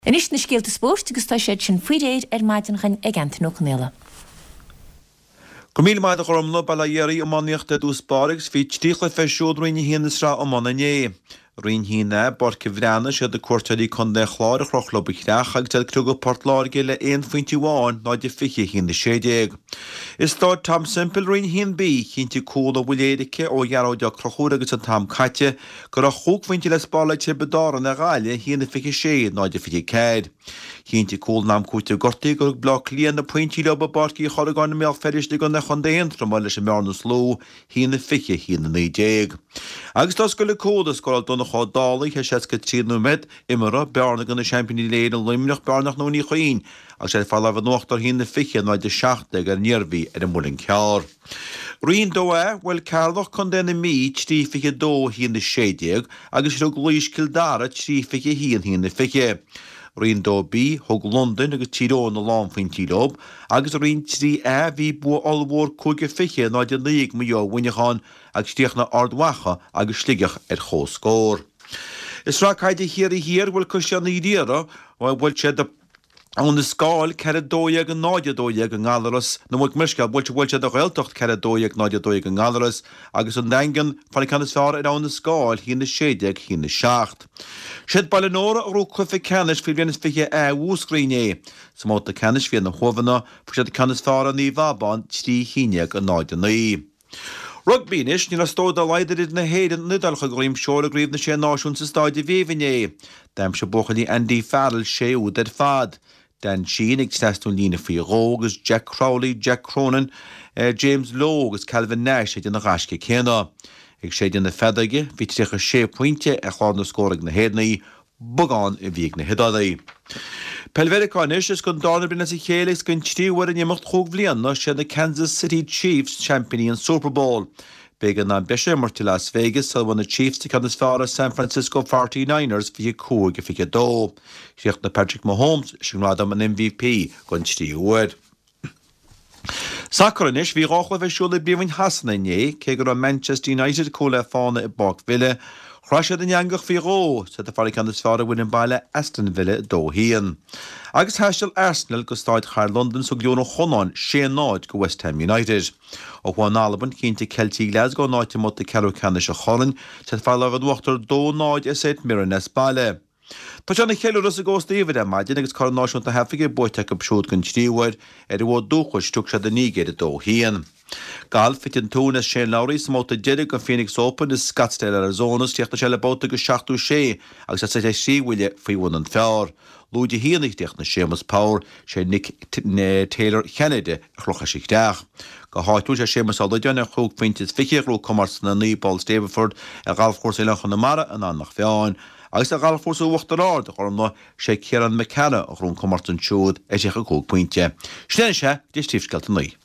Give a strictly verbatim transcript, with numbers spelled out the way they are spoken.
Anois na scéalta spóirt agus tá siad sin faoi réir ar maidin againn ag Antain Ó Conaola. Go míle maith a Ghormfhlaith, bail ó Dhia oraibh. Iománaíocht i dtús báire agus bhí trí chluiche ar siúl i Roinn a haon na Sraithe Iomána inné. Roinn a haon A, i bPáirc an Bhreathnaigh, siad na cuairteoirí Contae an Chláir a chroch leo an chreach agus iad ag criogadh Port Láirge le aon phointe amháin, náid a fiche, a haon a sé déag. I Stáid Tom Semple, Roinn a haon B, chinntigh cúl ó bhuille éirice ó Ghearóid Ó Conchúir agus an t-am caite go raibh chúig phointe le spáráil ag Tiobraid Árann ar Ghaillimh, a haon a fiche sé, náid a fiche ceathair. Chinntigh cúl in am cúitimh gortaithe gur thug Bleá Cliath na pointí leo i bPáirc Uí Chorragáin i mBéal Feirste i gContae Chontae Aontroma leis an mbearna a dhlúthú, a haon a fiche, a haon a naoi déag. Agus d'oscail an cúl a scóráil Donncha Ó Dálaigh théis seasca trí nóiméad imeartha, bearna do na seaimpíní uile-Éireann Luimneach, bearna nach Ndún Uí Chaoin agus iad ag fáil lámh in uachtar a haon a fiche, náid a seacht déag ar an Iarmhí ar an Muileann Cearr. Roinn dó A, bhuail Ceatharlach, Contae na Mí, trí fiche a dó, a haon a sé déag agus thug Laois Cill Dara trí fiche a haon, a haon a fiche. Roinn dó B, thug Londain agus Tír Eoghain a lánphointí leo agus i Roinn trí A bhí bua ollmhór cúig a fiche, náid a naoi ag Maigh Eo ar Mhuineachán agus chríochnaigh Ard Mhacha agus Sligeach ar comhscór. I Sraith Caide Chiarraí Thiar, bhuail Caisleán Uí Riada, bhuail siad Abhainn an Scáil, ceathair a dó dhéag, a náid a dó dhéag i nGallaras, nó mo leithscéal, bhuail bhuail siad an Ghaeltacht, ceathair a dó dhéag, náid a dó dhéag i nGallaras, agus an Daingean, fáil an ceann is fearr ar Abhainn an Scáil, a haon a sé déag, a haon a seacht. Siad Baile Nóra a ghnóthaigh cluiche ceannais faoi bhliain is fiche A Mhúscraí inné. Sa mbabhta ceannais bhí ar na hUaimheanna, fuair siad an ceann is fearr ar Naomh Abán, trí haon déag, a náid a naoi. Rugbaí anois, ní raibh stór dá laghad idir na hÉireann an Iodáil chuig Dhroim Seoir i gCraobh na Sé Náisiún sa Stáid a Bhéibh inné. D'aimsigh buachaillí Andy Farrell sé úd ar fad. Dan Sheehan ag trasnú líne faoi dhó agus Jack Crowley, Jack Cronin, James Lowe agus Calvin Nash ag déanamh an ghaisce céanna. Ag séideadh na feadóige, bhí tríocha sé pointe ar chlár na scór ag na hÉireannaigh, beagán a bhí ag na hIodálaigh. Peil Mheiriceá anois, is don darna bliain as a chéile agus don tríú huair in imeacht chúig bhliana, siad na Kansas City Chiefs seaimpíní an Super Bowl. B'éigean am breise a imirt i Las Vegas sula bhfuair na Chiefs an ceann is fearr ar San Francisco Forty Niners fiche cúig a fiche dó. Chríochnaigh Patrick Mahomes leis an ngradam an M V P don tríú huair. Sacar anois, bhí dhá chluiche ar siúl i bPríomhroinn Shasana inné, cé go raibh Manchester United cúl le fána i bPáirc Villa, chroith siad an eangach faoi dhó, is iad ag fáil an ceann is fearr ar bhfoireann baile Aston Villa dó haon. Agus thaistil Arsenal go Staid Chathair Londan is thug Glór an Chonáin sé náid go West Ham United. Ó thuaidh in Albain, chinntigh Ceiltigh Glasgow a n-áit i mbabhta ceathrú ceannais an choirn, is iad ag fáil lámh in uachtar dó náid ar St Mirren as baile. Tá sé ina cheiliúradh sa gCósta Íomhair ar maidin agus Corn Náisiúnta na hAfraice buaite acu siúd den tríú huair. Ar an bhfód dúchais, thug siad an Nigéir a dó haon. Galf, thit an tóin as Shane Lowry sa mbabhta deiridh den Phoenix Open i Scottsdale, Arizona is chríochnaigh sé le babhta de seachtó sé agus é suite trí bhuille faoi bhun an phar. Lúide a haon a chríochnaigh Séamus Power, sé Nick Taylor Cheanada a chroch leis an chreach. Go háitiúil, sé Séamus Ó Loideáin ar chúig phointe is fiche a ghnóthaigh comórtas na naoi bpoll Stableford ar ghalfchúrsa Oileán Chonamara in Eanach Mheáin. Agus ar ghalfchúrsa Uachtar Ard, a Ghormfhlaith, sé Ciarán Mac Cearra a ghnóthaigh an comórtas ansiúd ar thríocha cúig pointe. Sin é anois é, go dtí Príomhscéalta a naoi.